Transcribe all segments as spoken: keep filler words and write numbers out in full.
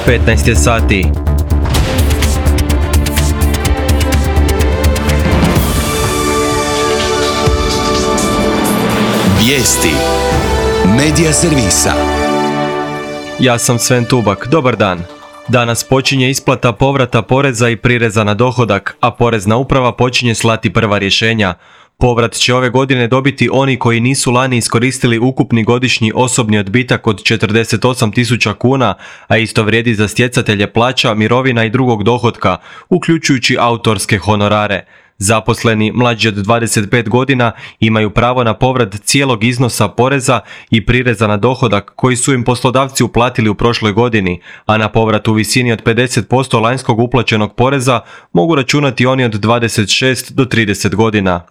petnaest je sati. Vijesti Medija servisa. Ja sam Sven Tubak, dobar dan. Danas počinje isplata povrata poreza i prireza na dohodak, a Porezna uprava počinje slati prva rješenja. Povrat će ove godine dobiti oni koji nisu lani iskoristili ukupni godišnji osobni odbitak od četrdeset osam tisuća kuna, a isto vrijedi za stjecatelje plaća, mirovina i drugog dohotka, uključujući autorske honorare. Zaposleni mlađi od dvadeset pet godina imaju pravo na povrat cijelog iznosa poreza i prireza na dohodak koji su im poslodavci uplatili u prošloj godini, a na povrat u visini od pedeset posto lanjskog uplaćenog poreza mogu računati oni od dvadeset šest do trideset godina.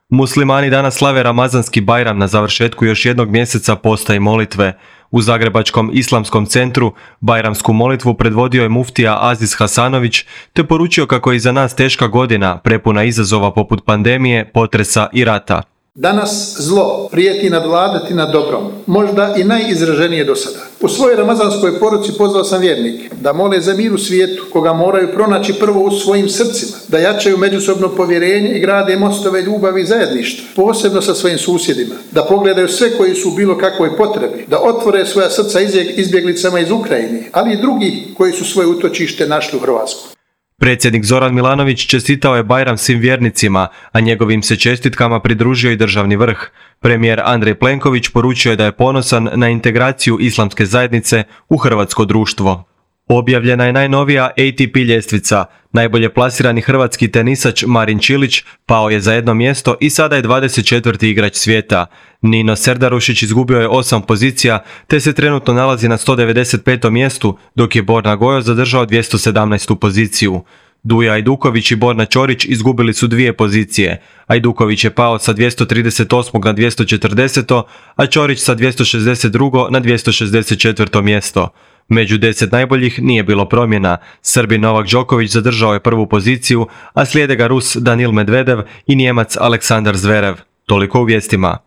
Muslimani danas slave Ramazanski Bajram na završetku još jednog mjeseca posta i molitve. U Zagrebačkom islamskom centru bajramsku molitvu predvodio je muftija Aziz Hasanović te poručio kako je iza nas teška godina, prepuna izazova poput pandemije, potresa i rata. Danas zlo prijeti nadvladati nad dobrom, možda i najizraženije do sada. U svojoj ramazanskoj poruci pozvao sam vjernike da mole za mir u svijetu, koga moraju pronaći prvo u svojim srcima, da jačaju međusobno povjerenje i grade mostove ljubavi i zajedništva, posebno sa svojim susjedima, da pogledaju sve koji su u bilo kakvoj potrebi, da otvore svoja srca izbjeglicama iz Ukrajine, ali i drugi koji su svoje utočište našli u Hrvatskoj. Predsjednik Zoran Milanović čestitao je Bajram svim vjernicima, a njegovim se čestitkama pridružio i državni vrh. Premijer Andrej Plenković poručio je da je ponosan na integraciju islamske zajednice u hrvatsko društvo. Objavljena je najnovija A T P ljestvica. Najbolje plasirani hrvatski tenisač Marin Čilić pao je za jedno mjesto i sada je dvadeset četvrti igrač svijeta. Nino Serdarušić izgubio je osam pozicija te se trenutno nalazi na sto devedeset petom mjestu, dok je Borna Gojo zadržao dvjesto sedamnaestu poziciju. Duja Ajduković i Borna Ćorić izgubili su dvije pozicije. Ajduković je pao sa dvjesto trideset osmog na dvjesto četrdeseto, a Ćorić sa dvjesto šezdeset drugog na dvjesto šezdeset četvrto mjesto. Među deset najboljih nije bilo promjena. Srbin Novak Đoković zadržao je prvu poziciju, a slijede ga Rus Danil Medvedev i Nijemac Aleksandar Zverev. Toliko u vijestima.